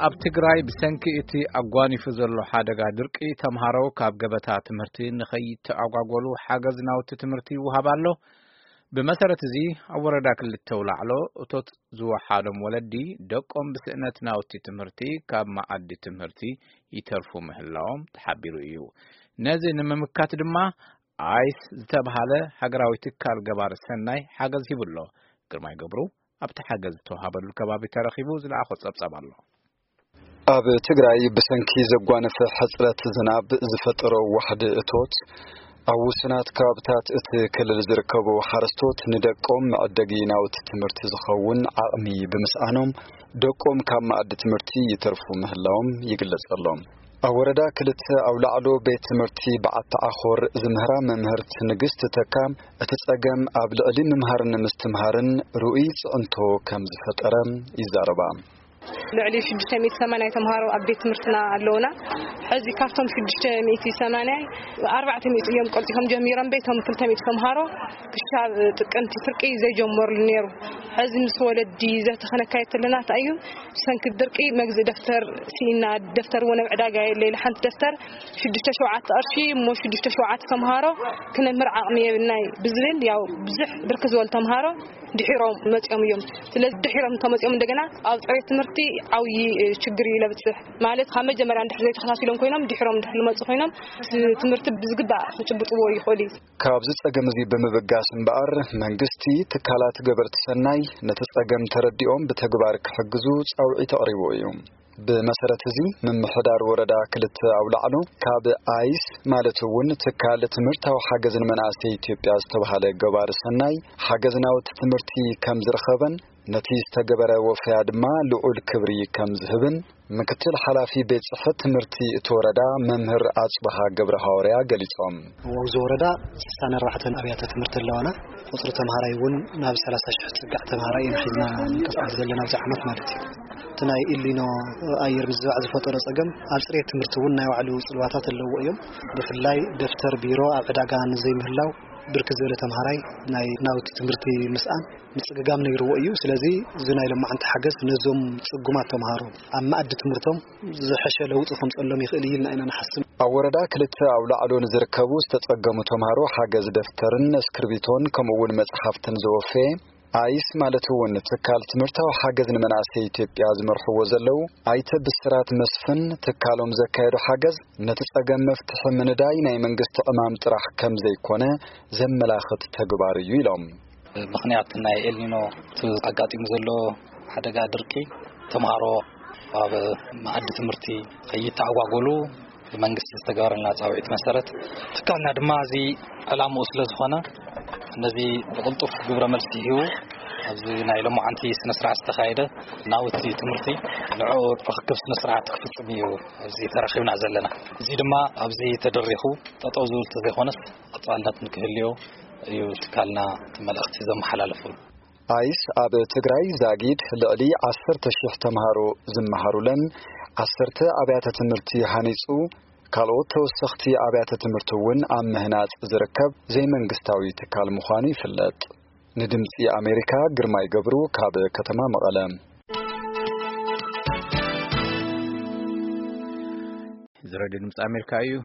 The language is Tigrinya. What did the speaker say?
ኣብ ትግራይ ብሰንኪ እቲ ኣጓኒፉ ዘሎ ሓደጋ ድርቂ ተምሃሮ ካብ ገበታ ትምህርቲ ንኸይተኣጓጎሉ ሓገዝ ናውቲ ትምህርቲ ይወሃብ ኣሎ። ብመሰረት እዚ ኣብ ወረዳ ክልተ ኣውላዕሎ እቶት ዝወሓዶም ወለዲ ደቆም ብስእነት ናውቲ ትምህርቲ ካብ መኣዲ ትምህርቲ ይተርፉ ምህላዎም ተሓቢሩ እዩ። ነዚ ንምምካት ድማ ኣይስ ዝተብሃለ ሃገራዊ ትካል ገባር ሰናይ ሓገዝ ሂቡ ኣሎ። ግርማይ ገብሩ ኣብቲ ሓገዝ ዝተዋሃበሉ ከባቢ ተረኺቡ ዝለኣኾ ጸብጻብ ኣሎ። ኣብ ትግራይ ብሰንኪ ዘጓነፈ ሕጽረት ዝናብ ዝፈጠሮ ዋሕዲ እቶት ኣብ ውሱናት ከባብታት እቲ ክልል ዝርከቡ ሓረስቶት ንደቆም መዕደጊ ናውቲ ትምህርቲ ዝኸውን ዓቕሚ ብምስኣኖም ደቆም ካብ መኣዲ ትምህርቲ ይተርፉ ምህላዎም ይግለጸሎም። ኣብ ወረዳ ክልተ ኣውላዕሎ ቤት ትምህርቲ በዓቲ ዓኾር ዝምህራ መምህርት ንግስቲ ተካ እቲ ጸገም ኣብ ልዕሊ ምምሃርን ምስትምሃርን ርኡይ ጽዕንቶ ከም ዝፈጠረ ይዛረባ። ልዕሊ ሽዱሽተ ሚእቲ ሰማንያ ተምሃሮ ኣብ ቤት ትምህርትና ኣለውና። ሕዚ ካብቶም ሽዱሽተ ሚእቲ ሰማንያ ኣርባዕተ ሚእቲ እዮም ቀልጢፎም ጀሚሮም ቤቶም ክልተ ሚእቲ ተምሃሮ ክሻብ ጥቅምቲ ፍርቂ ዘይጀመርሉ ነይሩ። ሕዚ ምስ ወለዲ ዘተኸነካየት ኣለና። እንታይ እዩ ብሰንኪ ድርቂ መግዝእ ደፍተር ሲኢና፣ ደፍተር እውን ኣብ ዕዳጋ የለ ኢለ ሓንቲ ደፍተር ሽዱሽተ ሸውዓተ ቅርሺ እሞ ሽዱሽተ ሸውዓተ ተምሃሮ ክነምህር ዓቕሚ የብልናይ ብዝብል ያው ብዙሕ ብርክ ዝበሉ ተምሃሮ ድሒሮም መፂኦም እዮም። ስለዚ ድሒሮም እንተመፂኦም እንደገና ኣብ ፅሬት ትምህርቲ ዓብዪ ችግር እዩ ለብፅሕ ማለት ካብ መጀመርያ እንድሕር ዘይተኸታቲሎም ኮይኖም ድሒሮም እንድሕር ልመፁ ኮይኖም ትምህርቲ ብዝግባእ ክጭብጥዎ ይኽእሉ እዩ። ካብዚ ጸገም እዚ ብምብጋስ እምበኣር መንግስቲ ትካላት ገበርቲ ሰናይ ነቲ ጸገም ተረዲኦም ብተግባር ክሕግዙ ጻውዒት ኣቕሪቡ እዩ። ብመሰረት እዚ ምምሕዳር ወረዳ ክልተ ኣውላዕሎ ካብ ኣይስ ማለት እውን ትካል ትምህርታዊ ሓገዝ ንመናእሰይ ኢትዮጵያ ዝተባሃለ ገባር ሰናይ ሓገዝ ናውቲ ትምህርቲ ከም ዝረኸበን ነቲ ዝተገበረ ወፈያ ድማ ልዑል ክብሪ ከም ዝህብን ምክትል ሓላፊ ቤት ጽሕፈት ትምህርቲ እቲ ወረዳ መምህር ኣጽብሃ ገብረ ሃዋርያ ገሊጾም። ኣብዚ ወረዳ ስሳን ኣርባዕተን ኣብያተ ትምህርቲ ኣለዋና። ቁፅሪ ተምሃራይ እውን ናብ ሰላሳ ሽሕ ዝፅጋዕ ተምሃራይ ኢና ሒዝና ንንቀሳቐስ ዘለና ኣብዚ ዓመት ማለት እዩ። እቲ ናይ ኢሊኖ ኣየር ምዝባዕ ዝፈጠሮ ፀገም ኣብ ፅሬት ትምህርቲ እውን ናይ ባዕሉ ፅልዋታት ኣለዎ እዮም። ብፍላይ ደፍተር ቢሮ ኣብ ዕዳጋ ንዘይምህላው ብርክት ዝበለ ተምሃራይ ናይ ናውቲ ትምህርቲ ምስኣን ምፅግጋም ነይርዎ እዩ። ስለዚ እዚ ናይ ሎማዓንቲ ሓገዝ ነዞም ፅጉማት ተምሃሮ ኣብ መኣዲ ትምህርቶም ዝሐሸ ለውጢ ከምፀሎም ይኽእል እዩ ኢልና ኢና ንሓስብ። ኣብ ወረዳ ክልተ ኣውላዕሎ ንዝርከቡ ዝተፀገሙ ተምሃሮ ሓገዝ ደፍተርን እስክርቢቶን ከምኡ እውን መፅሓፍትን ዘወፈየ ኣይስ ማለት እውን ትካል ትምህርታዊ ሓገዝ ንመናእሰይ ኢትዮጵያ ዝመርሕዎ ዘለዉ ኣይተ ብስራት መስፍን ትካሎም ዘካየዶ ሓገዝ ነቲ ጸገም መፍትሒ ምንዳይ ናይ መንግስቲ ዕማም ጥራሕ ከም ዘይኮነ ዘመላኽት ተግባር እዩ ኢሎም። ምኽንያት ናይ ኤልኒኖ እቲ ኣጋጢሙ ዘሎ ሓደጋ ድርቂ ተምሃሮ ኣብ መኣዲ ትምህርቲ ከይተኣጓጎሉ ብመንግስቲ ዝተገበረልና ጻውዒት መሰረት ትካልና ድማ እዚ ዕላምኡ ስለ ዝኾነ ነዚ ብቕልጡፍ ግብረ መልሲ ሂቡ ኣብዚ ናይ ሎማዓንቲ ስነ ስርዓት ዝተኻየደ ናውቲ ትምህርቲ ንዕኡ ርክክብ ስነ ስርዓት ክፍጽም እዩ ኣብዚ ተረኺብና ዘለና። እዚ ድማ ኣብዚ ተደሪኹ ጠጠው ዝብል ተዘይኮነስ ቀጻልነት ንክህልዮ እዩ ትካልና እቲ መልእኽቲ ዘመሓላልፉ። ኣይስ ኣብ ትግራይ ዛጊድ ልዕሊ ዓሰርተ ሽሕ ተምሃሮ ዝመሃሩለን ዓሰርተ ኣብያተ ትምህርቲ ሃኒፁ ካልኦት ተወሰኽቲ ኣብያተ ትምህርቲ እውን ኣብ ምህናፅ ዝርከብ ዘይመንግስታዊ ትካል ምዃኑ ይፍለጥ። ንድምፂ ኣሜሪካ ግርማይ ገብሩ ካብ ከተማ መቐለ። እዚ ሬድዮ ድምፂ ኣሜሪካ እዩ።